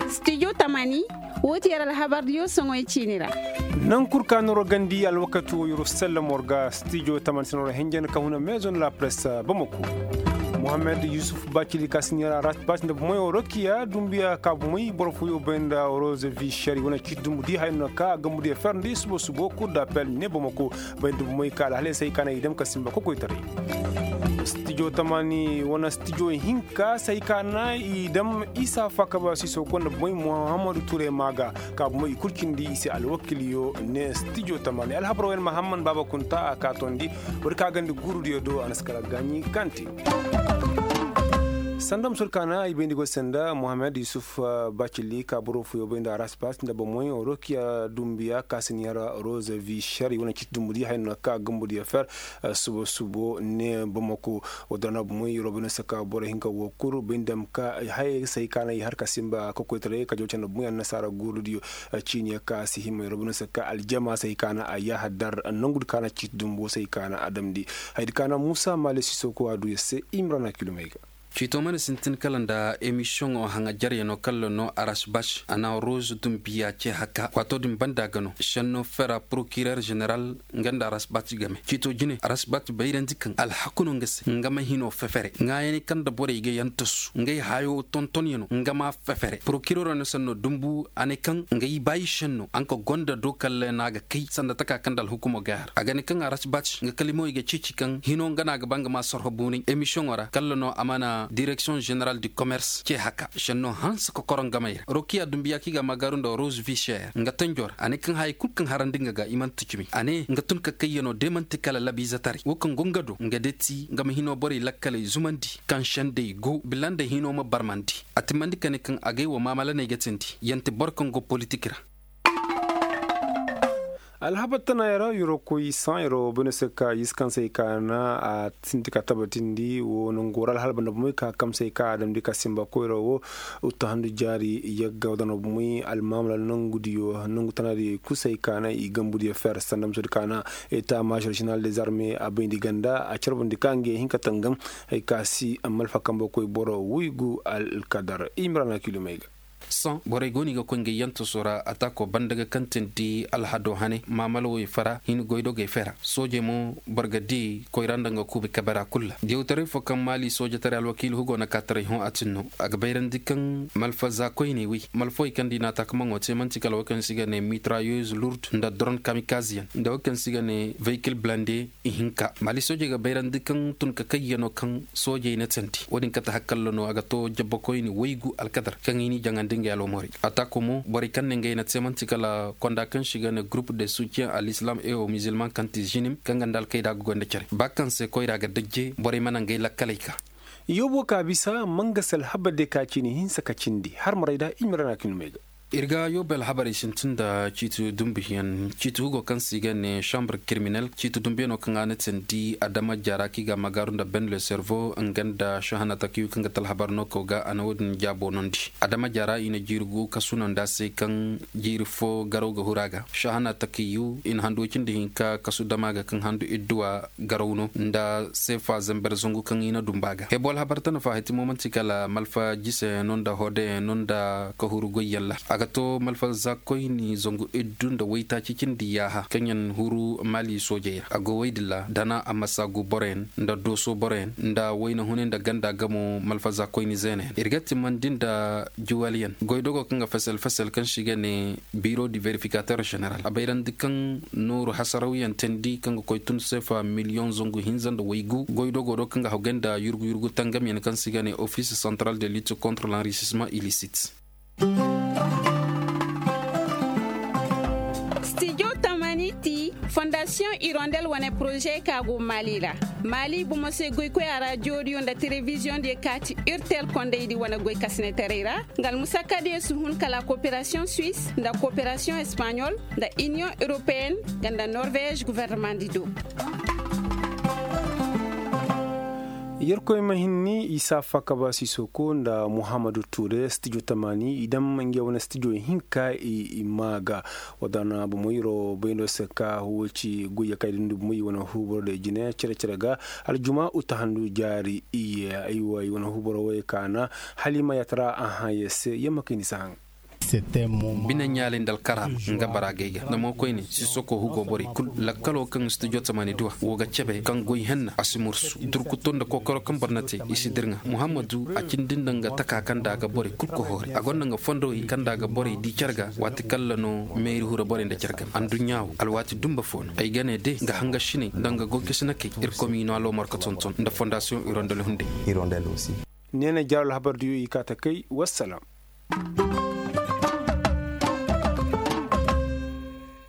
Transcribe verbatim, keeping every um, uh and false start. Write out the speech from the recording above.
Stijo tamani, woo ti yer alhabardiyo soŋoy ciini ra. Naŋ kul ka noro gandi alwakati wo yeroo sellem war ga stijo tamani se noro henjen ka huna meezon la press bamako. Mohammed yusuf bacili ka si neera rasbac nda bumoy orokiya dumbiya ka bumoy boro fooyo bay nda rose vicheri wane ciiti dumbu di haya no ka gambudiya fer nda i subo subo kur da pel ne bamako. Bay nda bumoy ka alhalay se hay ka na i dam ka simba kokoytaray. Stijo tamani wane stijo hinka se hay ka na i dam isa fakaba siso gonda bumoy muhammadu ture maaga. Ka bumoy i kul cindi i se alwakiliyo ne stijo tamani alhabar wen mahamman baaba kunta a ka tondi. War ka gandi guurudiyo do a na si kala gaaɲi kante. Sanda musur ka na i bayndi go senda mohammed yusuf bacili ka boro fooyo bay nda raspas nda bomoy rokiya dumbiya ka si ni hara rose vicheri wane ciiti dumbudiyo hay no ka gambudiyo fer. Subo subo ne bamako. Wadana bomoy robino saka boro hinka wo kul bay nda ma ka haya se hay ka na i har ka simba kokoytaray ka jaw canda bomoy annasaara guurudiyo. Ciiniya ka si hima robino saka aljama se hay ka na a yaha dar nangudi ka na ciiti dumbo se hay ka na a damndi. Haydi ka na muusa maale siso ko a du yer se imrana kilomey ga. Ciito mana sintin kala nda emisiyoŋo haŋajaryaŋo kalla no arasbac a na rose dumbiya ce haka waato din banda ga no šenno fera porokirer ženeral. Nga nda arasbac game ciito jine arasbac bayrandi kaŋ alhaku no nga se nga ma hino fefere ŋaayaney kaŋ nda borey ga yantasu ngey hayo tontonyaŋo nga ma fefere porokirero no sanno dumbu a ne kaŋ ngey baayi šenno a nga gonda do kalla no a ga kay sanda taka kaŋ nda alhukumo ga har a ga ne kaŋ arasbac nga kalimawey ga ceeci kaŋ hino nga no a ga ba nga ma sorho buunay emisiyoŋo ra kalla no a mana direksiyoŋ ženeral du komers ce haka šenno hanse kokoro ngamey ra rokiya dumbiya kaŋ i ga a magaaru nda rose vicher nga tanjo ra a ne kaŋ hayey kul kaŋ harandi nga ga i man'ti cimi a ne nga tun ka kayyaŋo de man'ti kala labiizetaray wo kaŋ go nga do nga de ti nga ma hino borey lakkaley zumandi kaŋ sendey go bila nda hino ma barmandi a timmandi ka ne kaŋ agay wa maamalaney ga tindi yanti boro kaŋ go politik ra. Alhabar tana yara yoro koy san yaro bane se ka yis kaŋ se ka na a sinti ka tabatindi wo nangu ra alhalba na bumey ka kamsey ka a damdi ka simba koyra wo. Uttu handu jaari yagga wadana bumey almamala nangu diyo nangu tana diyo kusey ka na i gambu diyo fer sanda musu di ka na eta mashar shinal des armées a bayndi ganda a carbandi ka nge hinka tangam. Hay ka si malfa kambo koy boro wuygu alkadar imrana kilomey ga. Sohõ borey go no i ga koy ngey yantaso ra ataako banda ga kaŋ tindi alhado hane maamalawey fara hin goydogey fera soojey mo boro ga di koyra nda nga kuubi kabe ra kulu ra diyawtaray fo kaŋ maali soojataray alwakiili hugo na kaataray hõ a tin no. A ga bayrandi kaŋ malfa za koyney wey malfawey kaŋ nda i na ataakamaŋo te man'ti kala wo kaŋ se i ga ne mitrayeuse lourde nda doron kamikazeyaŋ nda wo kaŋ se i ga ne vehikil blande. Ihinka maali soojey ga bayrandi kaŋ tun ka kayyaŋo kaŋ soojey na tandi wo-din kate hakkallo no a ga to jabbakoyni waygu alkadar kaŋ i n'i jaŋandi ngey alwamorey. Ataako mo borey kaŋ ne ngey na te man'ti kala konda kaŋ se i ga ne groupe de soutien à l'islam et aux musulmans kaŋ ti zinim kaŋ nga nda alkayda ga goy nda care ba kaŋ se koyra ga dajje borey mana ngey lakkaley ka. Yoobo ka bisa mangase alhabar de ka cine hinsa ka cindi har maray da i ma ra na ka i numey ga. Ir ga yoobe alhabarey sintin nda ciiti dumbuyaŋ ciiti hugo kaŋ se i ga ne chambre kiriminel ciiti dumbuyaŋo kaŋ a na teendi adama jaara kaŋ i ga a magaaru nda ben le servo nga nda šahana takiyu kaŋ ga ti alhabar no kaw ga a na wo-din jaabo nondi adama jaara i na jiiri gu kasu no nda se kaŋ jiiri fo garaw ga huru a ga šahana takiyu i na handu woy cindi hinka kasu dama ga kaŋ handu idduwa garaw no nda seefa zamber zangu kaŋ i na dumba ga hebo alhabar tana fa hati mo manti kala malfa jiseyaŋ no nda hodeyaŋ no nda kahuru goyyaŋ ra a ga to malfa za koyni zangu iddu nda waytaaci cindi yaaha kaŋ yaŋ huru maali soojey ra a go woy din ra dana a ma saagu boroyaŋ nda dooso boroyaŋ nda wayna hunay nda ganda gamo malfa za koyni zeenayaŋ ir ga timmandi nda juwaliyaŋ goydogo kaŋ ga fesel fesel kaŋ se i ga ne biro di verifikater ženeral a bayrandi kaŋ nooru hasarawyaŋ teendi kaŋ ga koy tun seefa miliyoŋ zangu hinza nda waygu goydogo do kaŋ ga hawgay nda yurgu yurgu tangamyaŋ kaŋ se i ga ne office central de lutte contre l'enrichissement illicite. Stijo tamani ti fondasiyoŋ irondel wane poroze ka go maali ra. Maali bomo se goykoya ra jooriyo nda telebiziyoŋ diyo ka ti urtel kondaydi wane goy kasinetaray ra nga almusakka diyo si hun kala koperasiyoŋ suwis nda koperasiyoŋ espaɲol nda iniyoŋ europeyenne nga nda norvez guvernemandi do. Yerkoy ma hinni isa fakaba sisoko nda muhammadu ture stijo tamaani i daŋ ngey wane stijo hinka i maa ga. Wadana bomoyro bayndo se ka huwoci goyya ka i dundi bomoy i wane huuboro da i jine cere-cere ga. Aljuma uta handu jaari iye. Aywa i wane huuboro way kaana. Halima yatara a haŋ ye se yamma kayndi si haŋ. Bine ɲaalay nda alkara nga bara gay ga nda mo koyne sisoko hugo borey kul. Lakkalo kaŋ studio tamani duwa wo ga cebe kaŋ goy henna a si mursu durkuto nda kokoro kaŋ boro na te i si dirŋa. Muhammadu a cindi nda nga taka kaŋ da a ga borey kul kohoori a gonda nga fondowey kaŋ da a ga borey di care ga. Waati kalla no meeri hura borey nda care game anduɲɲa wo alwaati dumba fo no ay ga ne de nga hangasiney nda nga goy kasinakey. Irkoy ma i no alomar ga tonton nda fondasiyoŋ irondel hunday. Neena jaaro alhabar diyo i kaa ta kay wassalam.